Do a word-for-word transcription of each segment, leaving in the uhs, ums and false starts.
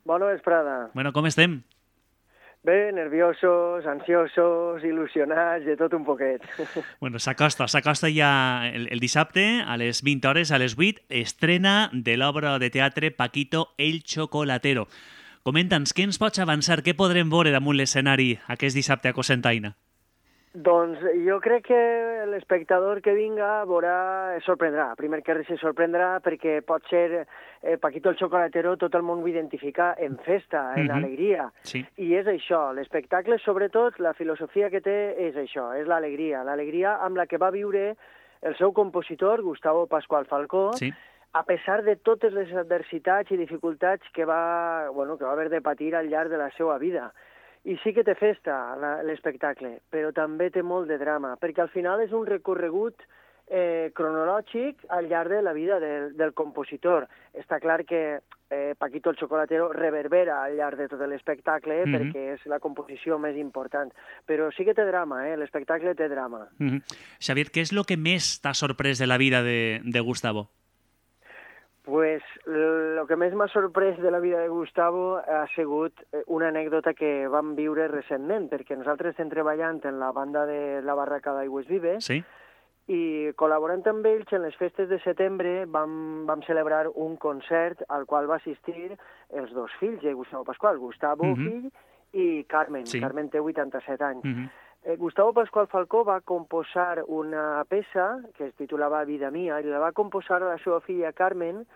Bona vesprada. Bueno, com estem? Bé, nerviosos, ansiosos, il·lusionats, de tot un poquet. Bueno, s'acosta, s'acosta ja el, el dissabte, a les vint hores, a les vuit, estrena de l'obra de teatre Paquito el Chocolatero. Comenta'ns, què ens pots avançar, què podrem veure damunt l'escenari aquest dissabte a Cocentaina? Doncs jo crec que l'espectador que vinga veurà, es sorprendrà. Primer que res se sorprendrà perquè pot ser eh, Paquito el Chocolatero, tot el món ho identifica en festa, en Mhm. alegria. Sí. I és això, l'espectacle sobretot, la filosofia que té és això, és l'alegria. L'alegria amb la que va viure el seu compositor, Gustavo Pascual Falcó, Sí. a pesar de totes les adversitats i dificultats que va, bueno, que va haver de patir al llarg de la seva vida. I sí que té festa la- l'espectacle, però també té molt de drama, perquè al final és un recorregut eh, cronològic al llarg de la vida del, del compositor. Està clar que eh, Paquito el Chocolatero reverbera al llarg de tot l'espectacle Mhm. perquè és la composició més important. Però sí que té drama, eh? L'espectacle té drama. Mhm. Xavier, què és el que més t'ha sorprès de la vida de, de Gustavo? Pues el que més m'ha sorprès de la vida de Gustavo ha sigut eh, una anècdota que vam viure recentment, perquè nosaltres estem treballant en la banda de la Barraca d'Aigües Vives Sí? i col·laborant amb ells en les festes de setembre vam, vam celebrar un concert al qual va assistir els dos fills de Gustavo Pascual, Gustavo, Mhm. fill, i Carmen. Sí. Carmen té vuitanta-set anys. Mhm. Eh, Gustavo Pascual Falcó va composar una peça que es titulava Vida mia i la va composar a la seva filla Carmen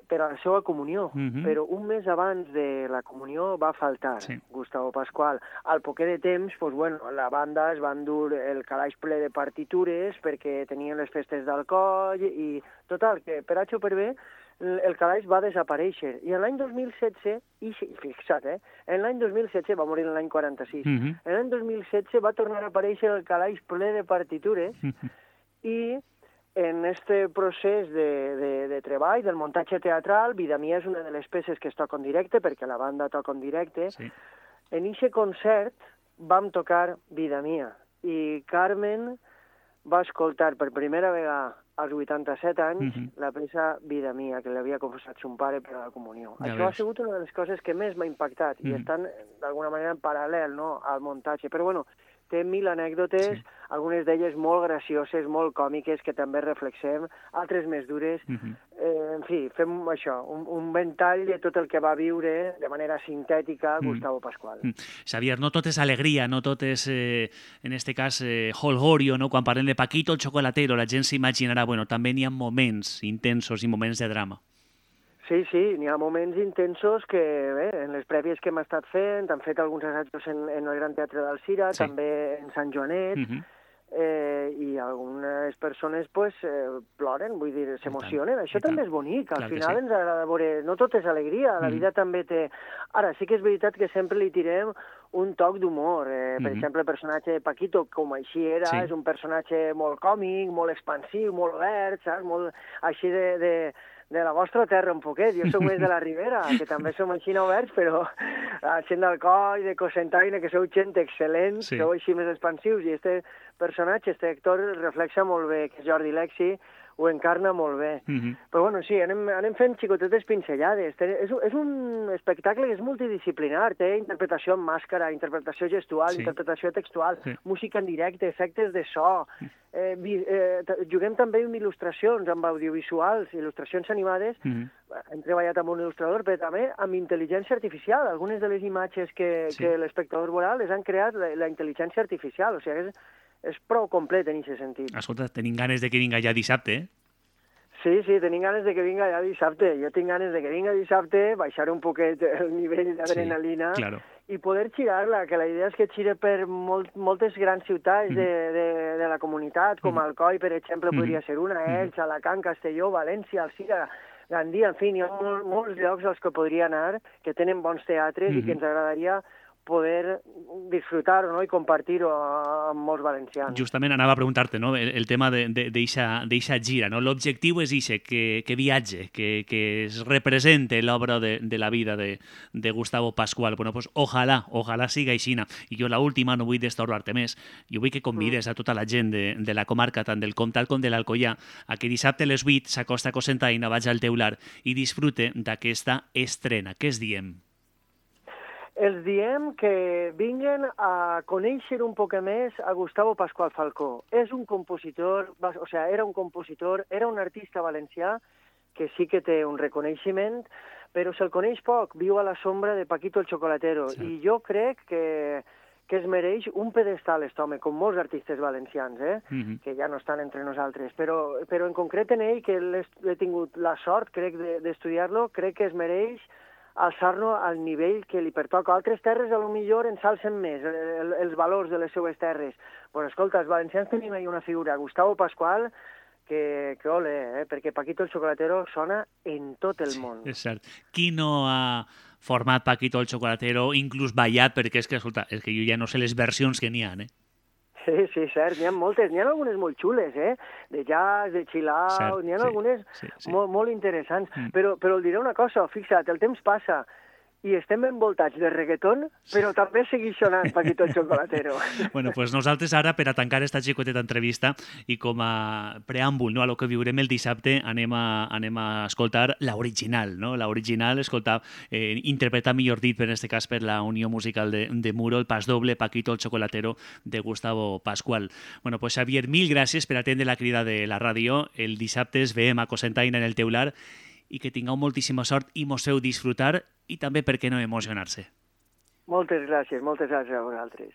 per a la seva comunió, Mhm. però un mes abans de la comunió va faltar Sí. Gustavo Pascual. Al poquet de temps, pues, bueno, la banda es va endur el calaix ple de partitures perquè tenien les festes d'alcohol i total, que per H o per B el el calaix va desaparèixer. I en l'any dos mil setze, i sí, fixa't, eh? En l'any dos mil setze, va morir en l'any quaranta-sis, Mhm. en l'any dos mil setze va tornar a aparèixer el calaix ple de partitures Mhm. i en este procés de, de, de treball, del muntatge teatral, Vida mia és una de les peces que es toca en directe, perquè la banda toca en directe. Sí. En aquest concert vam tocar Vida mia, i Carmen va escoltar per primera vegada als vuitanta-set anys Mhm. la peça Vida mia, que l'havia confessat son pare per a la comunió. Ja Això ha veus. sigut una de les coses que més m'ha impactat, i Mhm. estan d'alguna manera en paral·lel, no?, al muntatge. Però bueno, té mil anècdotes, Sí. algunes d'elles molt gracioses, molt còmiques, que també reflexem, altres més dures. Mhm. Eh, en fi, fem això, un, un ventall de tot el que va viure de manera sintètica Mm. Gustavo Pascual. Mm. Xavier, no tot és alegria, no tot és, eh, en este cas, eh, holgorio, no? Quan parlem de Paquito el Chocolatero, la gent s'imaginarà, bueno, també n'hi ha moments intensos i moments de drama. Sí, sí, n'hi ha moments intensos que, bé, en les prèvies que hem estat fent, han fet alguns assajos en, en el Gran Teatre d'Alzira, Sí. també en Sant Joanet, Mhm. eh, i algunes persones pues, eh, ploren, vull dir, s'emocionen. I Això tant. també és bonic, al Clar que final sí. ens agrada veure... No tot és alegria, la Mm. vida també té... Ara, sí que és veritat que sempre li tirem un toc d'humor. Eh, per Mhm. exemple, el personatge de Paquito, com així era, Sí. és un personatge molt còmic, molt expansiu, molt obert, saps? Molt així de... de de la vostra terra un poquet. Jo soc més de la Ribera, que també som així oberts, però la gent d'Alcoi, de Cocentaina, que sou gent excel·lent, Sí. sou així més expansius, i este personatge, este actor, reflexa molt bé, que és Jordi Lexi, ho encarna molt bé. Mhm. Però bueno, sí, anem, anem fent xicotetes pinzellades. Té- És, un- és un espectacle que és multidisciplinar, té interpretació en màscara, interpretació gestual, Sí. interpretació textual, Sí. música en directe, efectes de so. Eh, vi, eh, t- juguem també amb il·lustracions, amb audiovisuals, il·lustracions animades. Mhm. Hem treballat amb un il·lustrador, però també amb intel·ligència artificial. Algunes de les imatges que, Sí. que l'espectador veurà les han creat la, la intel·ligència artificial. O sigui, és, és prou complet en aquest sentit. Escolta, tenim ganes de que vinga ja dissabte, eh? Sí, sí, tenim ganes de que vinga ja dissabte. Jo tinc ganes de que vinga dissabte, baixar un poquet el nivell d'adrenalina Sí, claro. i poder girar-la, que la idea és que gire per molt, moltes grans ciutats de, de, de la comunitat, com Mhm. Alcoi, per exemple, Mhm. podria ser una, Elx, Alacant, Castelló, València, Alzira, Gandia, en fi, hi ha molt, molts llocs als que podria anar, que tenen bons teatres i Mhm. que ens agradaria poder disfrutar-ho, no? I compartir-ho amb molts valencians. Justament anava a preguntar-te, no? el, el tema d'eixa gira. No? L'objectiu és ixe, que, que viatge, que, que es represente l'obra de, de la vida de, de Gustavo Pascual. Bueno, pues ojalà, ojalà siga aixina. I jo l'última, no vull destorbar-te més, jo vull que convides a tota la gent de, de la comarca, tant del Comtal com de l'Alcoià, a que dissabte a les vuit s'acosta a Cocentaina, vaig al teular i disfrute d'aquesta estrena. Què es diem? Els diem que vinguen a conèixer un poc més a Gustavo Pascual Falcó. És un compositor, o sigui, era un compositor, era un artista valencià que sí que té un reconeixement, però se'l coneix poc, viu a la sombra de Paquito el Chocolatero, sí. I jo crec que, que es mereix un pedestal, aquest home, com molts artistes valencians, eh? Mm-hmm. Que ja no estan entre nosaltres, però, però en concret en ell, que l'he tingut la sort, crec, d'estudiar-lo, crec que es mereix alçar-lo al nivell que li pertoca. Altres terres, a lo millor, ensalcen més el, els valors de les seues terres. Bueno, escolta, els valencians tenim ahí una figura, Gustavo Pascual, que, que ole, eh? Perquè Paquito el Chocolatero sona en tot el món. Sí, és cert. Qui no ha format Paquito el Chocolatero, inclús ballat, perquè és que, escolta, és que jo ja no sé les versions que n'hi ha, eh? Sí, sí, cert, n'hi ha moltes, n'hi ha algunes molt xules, eh? De jazz, de chill out, n'hi ha sí, algunes sí, sí. Molt, molt interessants. Mm. Però, però et diré una cosa, fixa't, el temps passa i estem envoltats de reggaeton, però sí. També segueix sonant Paquito el Chocolatero. Bueno, pues nosaltres ara, per a tancar esta xicoteta entrevista i com a preàmbul, no, a lo que viurem el dissabte, anem a, anem a escoltar l'original, no? L'original, escoltar, eh, interpretar, millor dit, per en este cas per la Unió Musical de, de Muro, el pas doble Paquito el Chocolatero de Gustavo Pascual. Bueno, pues Xavier, mil gràcies per atendre la crida de la ràdio. El dissabte es veiem a Cocentaina en el teular i que tingueu moltíssima sort i mos feu disfrutar i també, per què no, emocionar-se. Moltes gràcies, moltes gràcies a vosaltres.